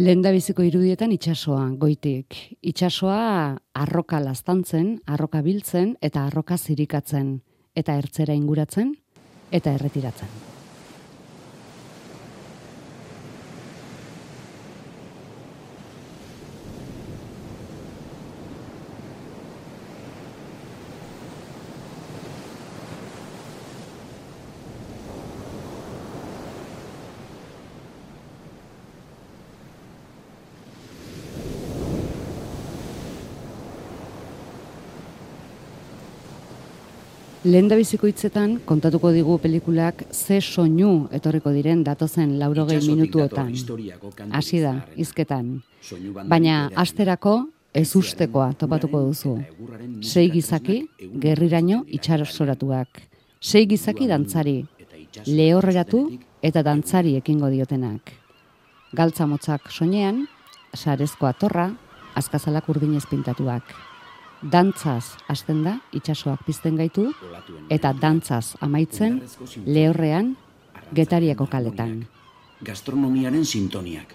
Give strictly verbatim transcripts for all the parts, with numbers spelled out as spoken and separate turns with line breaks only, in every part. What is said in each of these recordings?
Lehendabiziko irudietan itsasoa, goitik. Itsasoa arroka laztantzen, arroka biltzen eta arroka zirikatzen, eta ertzera inguratzen eta erretiratzen. Lehendabiziko hitzetan kontatuko digu pelikulak ze soinu etorriko diren datozen laurogei minutuotan. Hasi da, hizketan. Baina asterako ez ustekoa topatuko duzu. Sei gizaki, gerriraino itxasoratuak. Sei gizaki dantzari, lehorreratu eta dantzari ekingo diotenak. Galtza motzak soinean, sarezko atorra, azkazalak urdinez pintatuak. Dantzaz hasten da, itsasoak pizten gaitu, eta dantzaz amaitzen, lehorrean, Getariako kaletan.
Gastronomiaren sintoniak,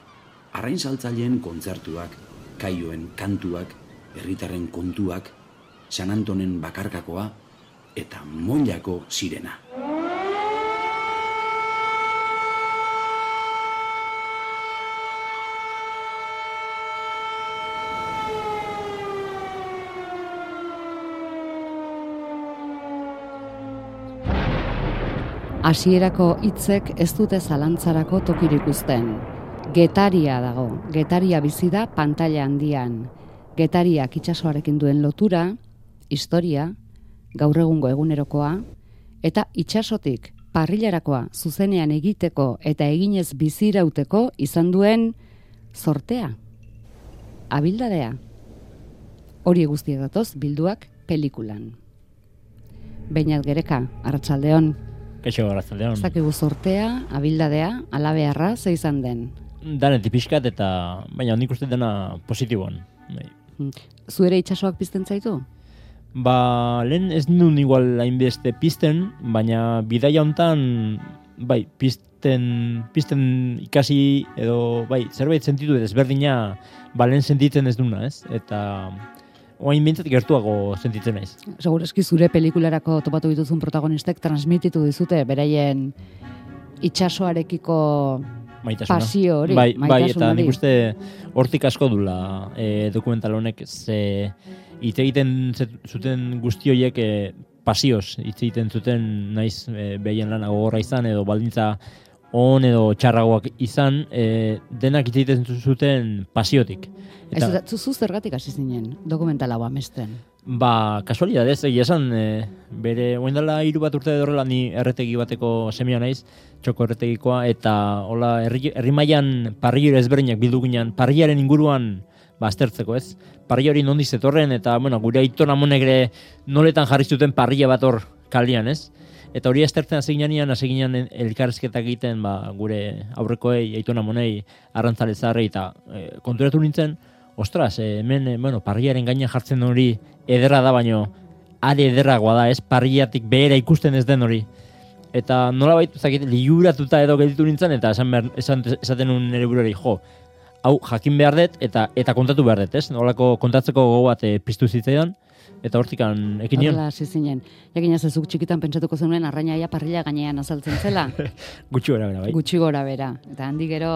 arrain saltzaileen kontzertuak, kaioen kantuak, herritarren kontuak, San Antonen bakarkakoa, eta Mollako sirena.
Hasierako hitzek ez dute zalantzarako tokirik uzten. Getaria dago, Getaria bizi da pantaila handian. Getariak itsasoarekin duen lotura, historia, gaur egungo egunerokoa, eta itsasotik parrilarakoa zuzenean egiteko eta eginez bizirauteko izan duen zortea, abildadea. Hori guztiak datoz bilduak pelikulan. Beñat Gereka, arratsaldeon.
Kaixo, arratsaldeon.
Zakigu zortea, abildadea, alabearra, ze izan den?
Danetik pixkat eta, baina nik uste dena positiboan. Bai.
Zu ere itsasoak pizten zaitu?
Ba, lehen ez nun igual hainbeste pizten, baina bidaia hontan, bai, pizten, pizten ikasi edo, bai, zerbait sentitu desberdina, ba, lehen sentitzen ez duna, ez? Eta oain bintzat gertuago sentitzen naiz.
Segureski zure pelikularako topatu dituzun protagonistek transmititu dizute beraien itsasoarekiko
maitasuna.
Pasio hori,
bai,
maitasun
bai, eta
hori.
nik uste hortik asko dula e, dokumental honek, ze hitz egiten zuten guzti horiek e, pasioz hitz egiten zuten naiz e, behien lana gogorra izan edo baldintza on edo txarragoak izan, e, denak hitz egiten zuten pasiotik.
Eta ez, zu zergatik hasi zinen dokumental hau amesten?
Ba, kasualidadez, egia esan, e, bere, oain dela hiru bat urte horrela ni erretegi bateko semia naiz, txoko erretegikoa, eta hola, herri, herri mailan parrillero ezberdinak bildu ginen, parrillaren inguruan ba, aztertzeko, ez? Parrilla hori nondiz etorren, eta, bueno, gure aiton amonek ere noletan jarri zuten parrilla bat hor kalian, ez? Eta hori aztertzen hasi ginean, hasi ginen elkarrizketak egiten, ba, gure aurrekoei, aiton amonei, arrantzale zaharrei, eta e, konturatu nintzen, ostras, eh, hemen, eh, bueno, parrillaren gainean jartzen hori ederra da, baino are ederragoa da, ez? Parrillatik behera ikusten ez den hori. Eta nolabait, zakit, liuratuta edo gelditu nintzen, eta esan, behar, esan esaten nun nire buruari, jo, hau jakin behar dut, eta eta kontatu behar dut, ez? Nolako kontatzeko gogo bat e, piztu zitzaidan, eta hortikan ekin nion.
Horrela, hasi zinen. Jakina zezuk txikitan pentsatuko zenuen arrainaia parrilla gainean azaltzen zela.
Gutxi gora bera, bai.
Gutxi gora bera. Eta handi gero,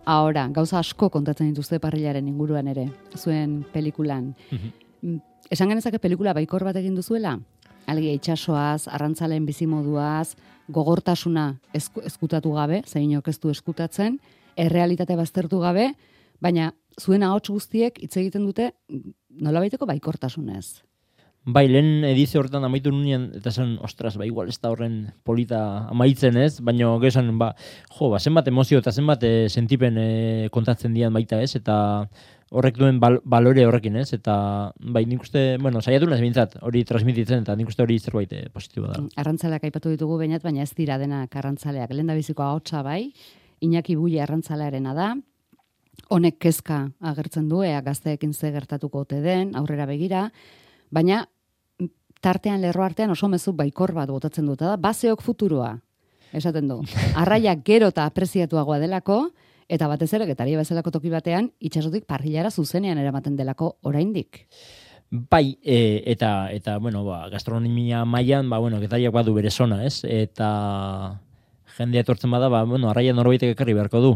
ahora, gauza asko kontatzen dituzte parrillaren inguruan ere, zuen pelikulan. Mm, Esan genezake pelikula baikor bat egin duzuela? Algia itsasoaz, arrantzaleen bizimoduaz, gogortasuna esku, eskutatu gabe, zeinok ez du eskutatzen, errealitate baztertu gabe, baina zuen ahots guztiek hitz egiten dute nolabaiteko baikortasunez.
Bai, lehen edizio horretan amaitu nuen, eta esan, ostras, ba, igual ez da horren polita amaitzen ez, baina gesan, ba, jo, ba, zenbat emozio eta zenbat e, sentipen e, kontatzen dian baita ez, eta horrek duen bal balore horrekin ez, eta bai, nik uste, bueno, saiatu naz bintzat, hori transmititzen, eta nik uste hori zerbait e, positiboa da.
Arrantzaleak aipatu ditugu bainat, baina ez dira denak arrantzaleak. Lehendabiziko ahotsa bai, Iñaki Bulle arrantzalearena da, honek kezka agertzen du, ea gazteekin ze gertatuko ote den, aurrera begira, baina tartean lerro artean oso mezu baikor bat botatzen dut, da baseok futuroa, esaten du. Arraiak gero eta apreziatuagoa delako, Eta batez ere, Getaria bezalako toki batean, itsasotik parrillara zuzenean eramaten delako oraindik.
Bai, e, eta, eta, bueno, ba, gastronomia mailan, ba, bueno, Getariak badu bere zona, ez? Eta jendea etortzen bada, ba, bueno, arraia norbaitek ekarri beharko du.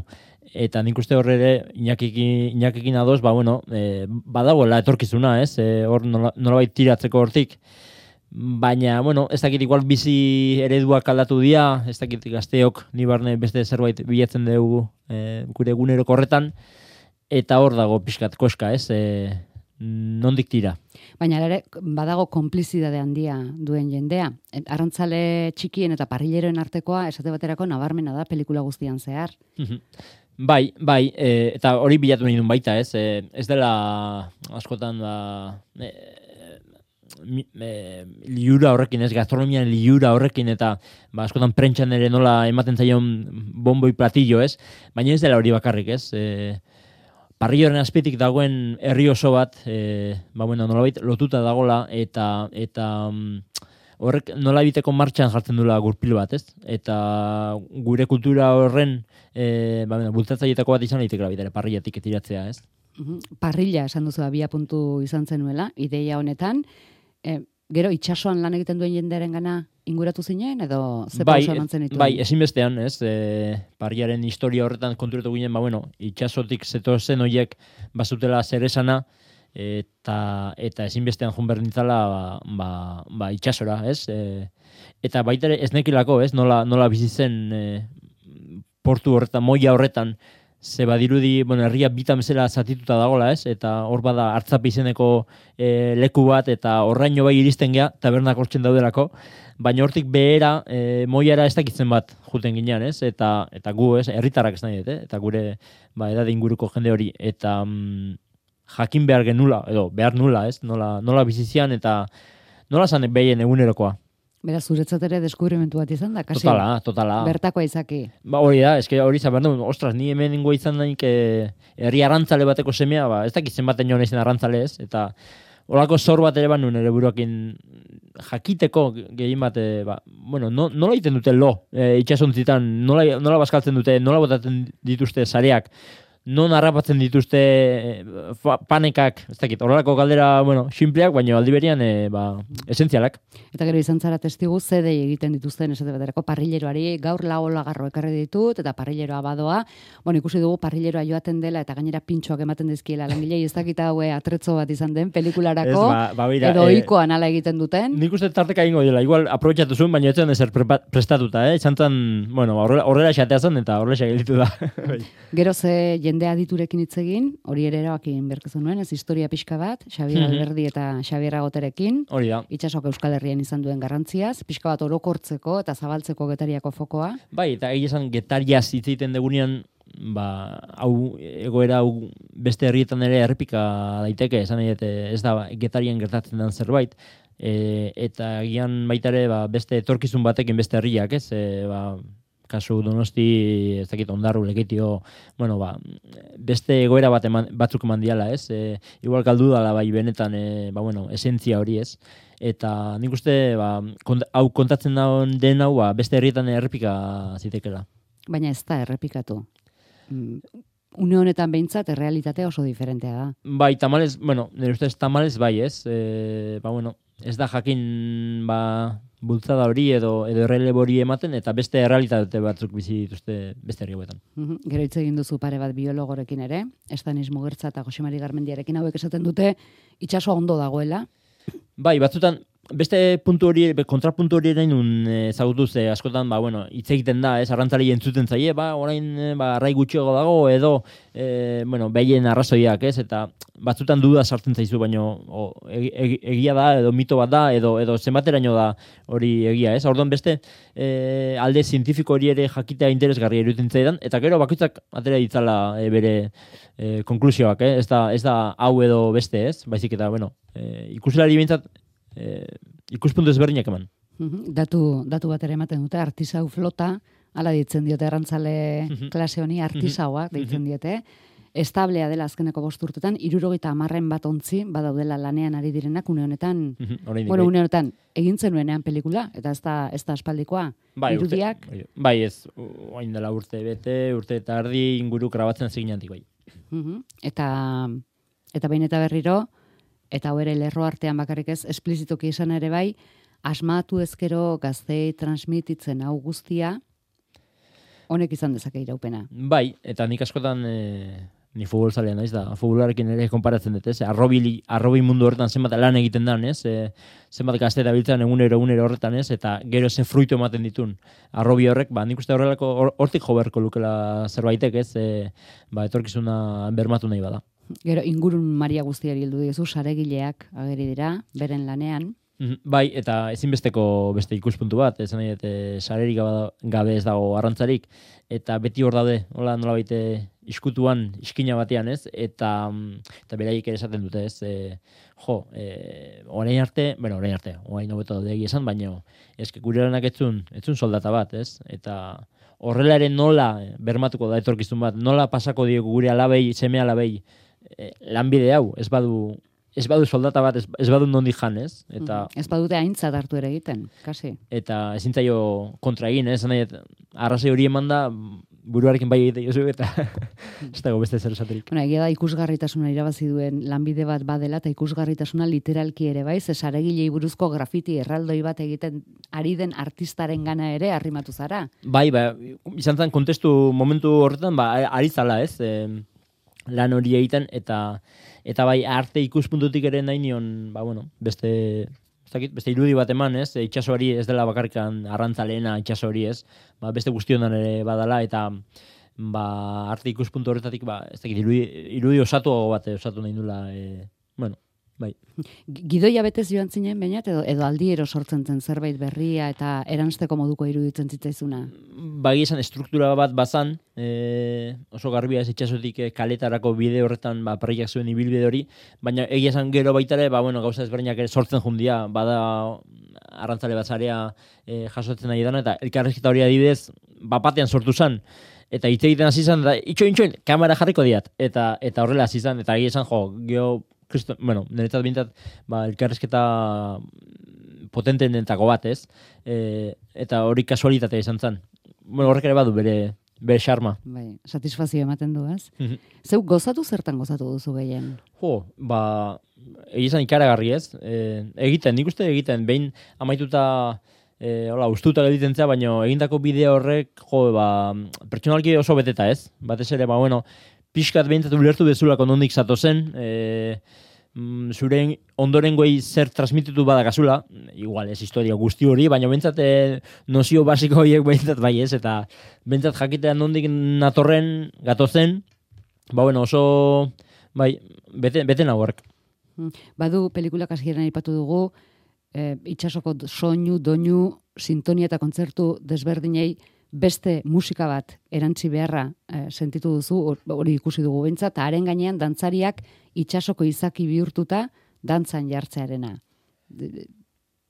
Eta nik uste horre ere, Iñakikin, Iñakikin adoz, ba, bueno, e, badagoela etorkizuna, ez? E, hor nola, nolabait tiratzeko hortik. Baina, bueno, ez dakit igual bizi ereduak aldatu dira, ez dakit gazteok, ni barne beste zerbait bilatzen dugu e, gure eguneroko horretan, eta hor dago pixkat koska, ez? E, nondik tira.
Baina ere, badago konplizidade handia duen jendea. Arrantzale txikien eta parrilleroen artekoa, esate baterako nabarmena da pelikula guztian zehar.
Bai, bai, e, eta hori bilatu nahi duen baita, ez? E, ez dela askotan da... E, E, liura horrekin, ez, gastronomian liura horrekin, eta ba, askotan prentxan ere nola ematen zaion bomboi platillo, ez, baina ez dela hori bakarrik, ez, e, parrilloren azpitik dagoen herri oso bat, e, ba, bueno, nolabait lotuta dagola, eta eta horrek nolabiteko martxan jartzen dula gurpil bat, ez, eta gure kultura horren e, ba, bueno, bultzatzaietako bat izan daiteke ere parrillatik tiratzea, ez.
Parrilla esan duzu abia puntu izan zenuela, ideia honetan. E, gero itsasoan lan egiten duen jendearen gana inguratu zinen, edo ze pausa emantzen dituen?
Bai, ezinbestean, ez, e, parriaren historia horretan konturatu ginen, ba, bueno, itsasotik zetozen horiek bazutela zer esana, eta, eta ezinbestean joan behar nintzala, ba, ba, ba, itsasora, ez, e, eta baita ere ez nekilako, ez, nola, nola bizitzen e, portu horretan, moia horretan, ze badirudi, bueno, herria bitan bezala zatituta dagola, ez? Eta hor bada Artzape izeneko e, leku bat, eta horraino bai iristen gea, tabernak hortzen daudelako, baina hortik behera, e, moiara ez dakitzen bat juten ginean, ez? Eta, eta gu, ez? Herritarrak ez nahi dut, eh? Eta gure, ba, edade inguruko jende hori, eta mm, jakin behar genula, edo behar nula, ez? Nola, nola bizizian, eta nola zanek behien egunerokoa.
Beraz, zuretzat ere deskubrimentu bat izan da, kasi?
Totala, totala.
Bertakoa izaki.
Ba, hori da, eske hori izan behar du, ostras, ni hemen ingo izan daik eh, herri arrantzale bateko semea, ba, ez dakitzen baten joan izan arrantzale ez, eta horako zor bat ere banun ere buruakin jakiteko gehien bat, e, ba, bueno, no, nola egiten dute lo, e, itxasontzitan, nola, nola bazkaltzen dute, nola botatzen dituzte sareak, non harrapatzen dituzte fa, panekak, ez dakit, horrelako galdera, bueno, simpleak, baina aldi berian, e, ba, esentzialak.
Eta gero izan zara testigu, zedei egiten dituzten esate baterako parrilleroari, gaur lau olagarro ekarri ditut, eta parrilleroa badoa, bueno, ikusi dugu parrilleroa joaten dela, eta gainera pintxoak ematen dizkiela, langilei ez dakita haue atretzo bat izan den, pelikularako,
ez, ba, ba, bira,
edo
e,
ohikoan ala egiten duten.
Nik uste tarteka ingo dela, igual aprobetxatu zuen, baina etzen ezer prestatuta, eh? Izan zen, bueno, horrela xatea zen, eta horrela xagelditu da.
Gero ze jende aditurekin hitz egin, hori ere erabakin berkezu nuen, ez historia pixka bat, Xabier Alberdi eta Xabier Agoterekin,
hori da.
Itxasok Euskal Herrian izan duen garrantziaz, pixka bat orokortzeko eta zabaltzeko Getariako fokoa.
Bai, eta egia esan Getariaz hitz egiten degunean, ba, hau egoera hau beste herrietan ere errepika daiteke, esan nahi ez da Getarian gertatzen den zerbait, e, eta egian baita ere ba, beste etorkizun batekin beste herriak, ez, e, ba, kasu Donosti, ez dakit Ondarru, Lekeitio, bueno, ba, beste egoera bat eman, batzuk eman diala, ez? E, igual galdu dala bai benetan, e, ba, bueno, esentzia hori, ez? Eta nik uste, ba, kont, hau kontatzen daun den hau, ba, beste herrietan errepika zitekela.
Baina ez da errepikatu. Une honetan behintzat, errealitatea oso diferentea da.
Bai, tamalez, bueno, nire ustez tamalez bai, ez? E, ba, bueno, ez da jakin, ba, bultzada hori edo edo errelebo hori ematen, eta beste errealitate batzuk bizi dituzte beste herri hauetan.
Mm-hmm. Gero hitz egin duzu pare bat biologorekin ere, Estanis Mugertza eta Jose Mari Garmendiarekin, hauek esaten dute itsasoa ondo dagoela. Bai,
batzutan beste puntu hori, kontrapuntu hori erain nun ezagutu ze askotan, ba, bueno, hitz egiten da, ez, arrantzari entzuten zaie, ba, orain, ba, arrai gutxiago dago, edo, e, bueno, behien arrazoiak, ez, eta batzutan duda sartzen zaizu, baino, o, eg, eg, egia da, edo mito bat da, edo, edo zenbateraino da hori egia, ez, orduan beste e, alde zientifiko hori ere jakitea interesgarria iruditzen zaidan, eta gero bakoitzak atera ditzala e, bere e, konklusioak, eh? ez, da, ez da hau edo beste, ez, baizik eta, bueno, e, ikusilari bintzat, Eh, ikuspuntu ezberdinak eman.
Uh-huh. Datu, datu bat ere ematen dute, artisau flota, ala ditzen diote arrantzale uh-huh. klase honi, artisauak deitzen diote, establea dela azkeneko bost urtetan, hirurogeita hamarren bat ontzi, badaudela lanean ari direnak, une honetan, bueno, une honetan, egin zenuenean pelikula, eta ez da, ez da aspaldikoa,
bai,
irudiak.
Urte, bai, ez, oain dela urte bete, urte eta ardi inguru grabatzen ziginantik, bai.
Uh-huh. Eta, eta behin eta berriro, eta hau ere lerro artean bakarrik ez, esplizitoki esan ere bai, asmatu ezkero gaztei transmititzen hau guztia, honek izan dezake iraupena.
Bai, eta nik askotan e, ni futbol zalea naiz da, futbolarekin ere konparatzen dut, ez? Arrobi, arrobi mundu horretan zenbat lan egiten dan, ez? E, zenbat gazte dabiltzen egunero egunero horretan, ez? Eta gero ze fruitu ematen ditun. Arrobi horrek, ba, nik uste horrelako hortik jo beharko lukela zerbaitek, ez? E, ba, etorkizuna bermatu nahi bada. Gero
ingurun Maria guztiari heldu diozu, saregileak ageri dira, beren lanean.
Bai, eta ezinbesteko beste ikuspuntu bat, esan nahi, eta sarerik gabe ez dago arrantzarik, eta beti hor daude, hola nola baite iskutuan, iskina batean, ez, eta, eta beraiek ere esaten dute, ez, e, jo, e, orain arte, bueno, orain arte, orain hobeto daude esan, baina eske gure lanak etzun, etzun soldata bat, ez, eta horrela ere nola bermatuko da etorkizun bat, nola pasako diegu gure alabei, seme alabei, e, lanbide hau, ez badu, ez badu soldata bat, ez, ez badu nondi jan, ez? Eta,
mm, ez badute aintzat hartu ere egiten, kasi.
Eta ezin zaio kontra egin, ez? Nahi, arrazoi hori eman da, buruarekin bai egite jozu, eta ez dago beste zer esaterik.
Bueno, egia da ikusgarritasuna irabazi duen lanbide bat badela, eta ikusgarritasuna literalki ere bai, ze saregilei buruzko grafiti erraldoi bat egiten ari den artistaren gana ere arrimatu zara.
Bai, ba, izan zen kontestu momentu horretan, ba, ari zala, ez? E, lan hori egiten, eta eta bai arte ikuspuntutik ere nahi nion, ba, bueno, beste, beste irudi bat eman, ez? Itxaso hori ez dela bakarrikan arrantzaleena itxaso hori, ez? Ba, beste guztionan ere badala, eta ba, arte ikuspuntu horretatik, ba, ez dakit, irudi, irudi osatu bat osatu nahi nula, e, bueno, bai.
Gidoia betez joan zinen, bainat, edo, edo aldiero sortzen zen zerbait berria eta eransteko moduko iruditzen zitzaizuna?
Bagi esan, struktura bat bazan, e, oso garbia ez itxasotik kaletarako bide horretan ba, parriak zuen ibilbide hori, baina egia esan gero baitare, ba, bueno, gauza ezberdinak ere sortzen jundia, bada arrantzale bazarea e, jasotzen nahi dana, eta elkarrezketa hori adibidez, bapatean sortu zen, eta hitz egiten hasi izan, eta itxoin, itxoin, kamera jarriko diat, eta, eta horrela hasi izan, eta egia esan, jo, geho, Kristo, bueno, niretzat bintzat, ba, elkarrezketa potentenetako bat, ez? E, eta hori kasualitatea izan zen. Bueno, horrek ere badu bere bere xarma.
Bai, satisfazio ematen du, ez? Zeu gozatu zertan gozatu duzu gehien?
Jo, ba, egizan ikaragarri, ez? E, egiten, nik uste egiten, behin amaituta e, hola, ustuta egiten zea, baina egindako bideo horrek, jo, ba, pertsonalki oso beteta, ez? Batez ere, ba, bueno, pixkat behintzat ulertu bezulako nondik zato zen, e, mm, zure ondorengoei zer transmititu badakazula, igual ez historia guzti hori, baina behintzat e, nozio basiko horiek behintzat bai ez, eta behintzat jakitean nondik natorren gatozen, ba bueno, oso bai, bete, bete nagoark.
Badu pelikulak hasieran aipatu dugu, e, itsasoko soinu, doinu, sintonia eta kontzertu desberdinei beste musika bat erantzi beharra e, sentitu duzu, hori ikusi dugu behintzat, eta haren gainean dantzariak itsasoko izaki bihurtuta dantzan jartzearena.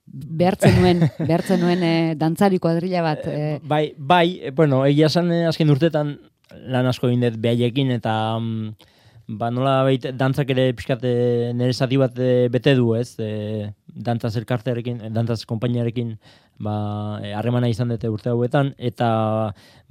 Behartzen nuen, behartzen nuen e, dantzari kuadrilla bat. E...
Bai, bai, bueno, egia esan azken urtetan lan asko egin dut behaiekin, eta mm, ba, nola behit, dantzak ere pixkat nire zati bat e, bete du, ez? E, dantzaz elkartearekin, dantzaz konpainiarekin harremana ba, izan dute urte hauetan, eta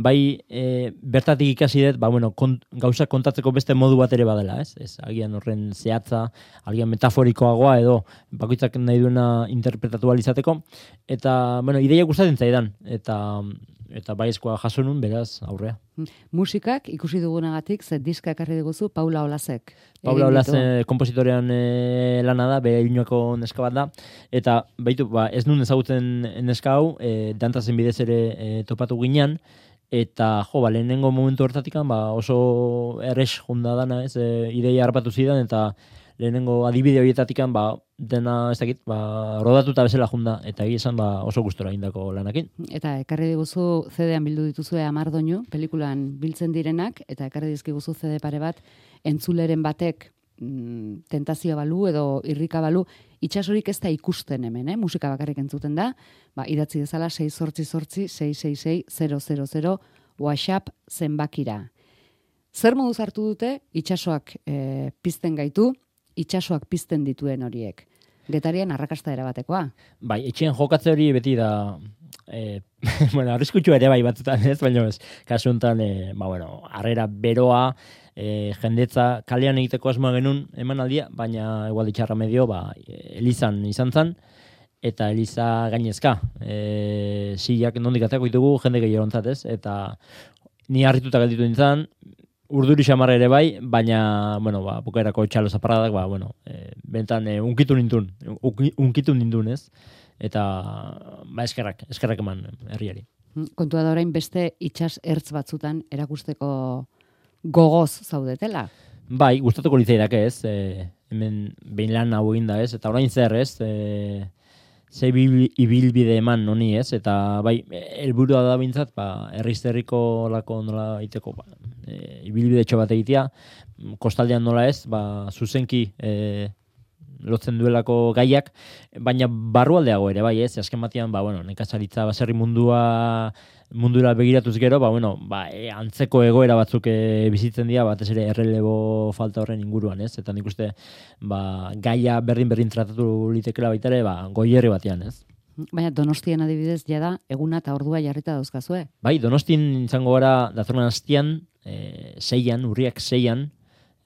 bai e, bertatik ikasi dut, ba, bueno, kont, gauzak kontatzeko beste modu bat ere badela, ez? Ez, agian horren zehatza, agian metaforikoagoa edo bakoitzak nahi duena interpretatu izateko, eta, bueno, ideia gustatzen zaidan, eta eta baizkoa jaso nun, beraz, aurrea.
Musikak ikusi dugunagatik, ze diska ekarri diguzu Paula Olasek.
Paula Olas kompositorean e, lana da, bere Iruñako neska bat da, eta baitu, ba, ez nun ezagutzen neska hau, e, dantazen bidez ere e, topatu ginean, eta jo, ba, lehenengo momentu hortatikan, ba, oso errex junda dana, ez, e, ideia harpatu zidan, eta lehenengo adibide horietatikan, ba, dena, ez dakit, ba, rodatuta bezala junda, eta egia esan, ba, oso gustora indako lanakin.
Eta ekarri diguzu C D-an bildu dituzue hamar doinu, pelikulan biltzen direnak, eta ekarri dizkiguzu C D pare bat, entzuleren batek mm, tentazioa balu edo irrika balu, itxasorik ez da ikusten hemen, eh? Musika bakarrik entzuten da, ba, idatzi dezala sei zortzi zortzi sei sei sei zero zero zero WhatsApp zenbakira. zer moduz hartu dute itsasoak e, pizten gaitu, itsasoak pizten dituen horiek? Getarian arrakasta erabatekoa.
Bai, etxean jokatze hori beti da, e, bueno, arriskutsua ere bai batzutan, ez, baina ez, kasu honetan, e, ba, bueno, harrera beroa, e, jendetza kalean egiteko asmoa genuen emanaldia, baina igual ditxarra medio, ba, elizan izan zen, eta eliza gainezka. E, silak nondik atako ditugu, jende gehierontzat, ez, eta ni harrituta gelditu nintzen, urduri xamarra ere bai, baina, bueno, ba, bukaerako txalo zaparradak, ba, bueno, e, bentan e, unkitu nindun, unkitu nindun, ez? Eta, ba, eskerrak, eskerrak eman herriari.
Kontua da orain beste itsas ertz batzutan erakusteko gogoz zaudetela?
Bai, gustatuko litzaidake, ez? E, hemen behin lan hau egin da, ez? Eta orain zer, ez? E, ze ibilbide eman honi, ez? Eta bai, helburua da bintzat, ba, herrizterriko lako nola iteko, ba, e, ibilbide txo bat egitea, kostaldean nola ez, ba, zuzenki e, lotzen duelako gaiak, baina barrualdeago ere, bai, ez? Azken batean, ba, bueno, nekazaritza baserri mundua mundura begiratuz gero, ba, bueno, ba, e, antzeko egoera batzuk e, bizitzen dira, batez ere errelebo falta horren inguruan, ez? Eta nik uste, ba, gaia berdin-berdin tratatu litekela baita ere, ba, goierri batean, ez?
Baina Donostian adibidez, jada, eguna eta ordua jarrita dauzkazue?
Bai, Donostin izango gara datorren astian, e, seian, urriak seian,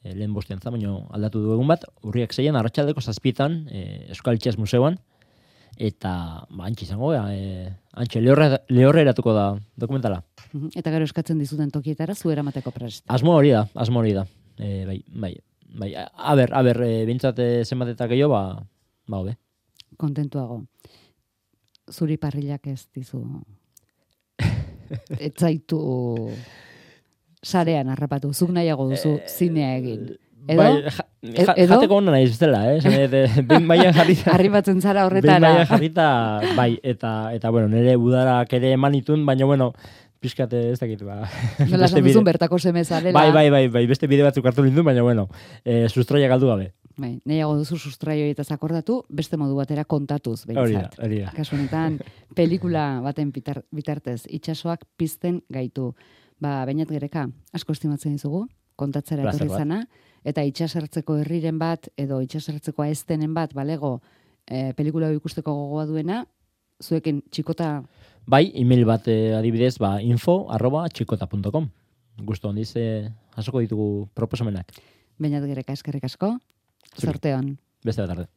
e, lehen bostean za, baina aldatu du egun bat, urriak seian, arratsaldeko zazpietan, e, Euskal Itxas Museoan, eta ba, antxe izango, e, antxe lehorre, lehorre eratuko da dokumentala.
Eta gero eskatzen dizuten tokietara, zu eramateko prest.
Asmo hori da, asmo hori da. E, bai, bai, bai, a ber, a ber, e, bintzat zenbat eta gehiago, ba, ba, hobe.
Kontentuago. Zuri parrilak ez dizu. Ez zaitu sarean harrapatu. Zuk nahiago duzu zinea egin. Edo?
Bai, ja, ja, jateko hona nahi zutela, eh? Behin baian jarrita.
Arribatzen zara horretara.
Behin baian jarrita, bai, eta, eta bueno, nire udarak ere emanitun, baina bueno, pixkate ez dakit, ba.
Nola esan duzun bertako seme zarela.
Bai, bai, bai, bai, beste bide batzuk hartu lindun, baina bueno, e, sustraia galdu gabe.
Bai, nahiago duzu sustraio horietaz akordatu, beste modu batera kontatuz, behintzat.
Hori da, hori da.
Kasu honetan, pelikula baten bitar, bitartez, itsasoak pizten gaitu. Ba, Beñat Gereka, asko estimatzen dizugu, kontatzera etorri zana, eta itsasertzeko herriren bat, edo itsasertzeko aestenen bat, balego, e, pelikula ikusteko gogoa duena, zuekin txikota...
Bai, email bat eh, adibidez, ba, info arroba txikota punto com. Gusto handiz, eh, jasoko ditugu proposamenak.
Beñat Gereka, eskerrik asko, zorteon.
Beste bat arde.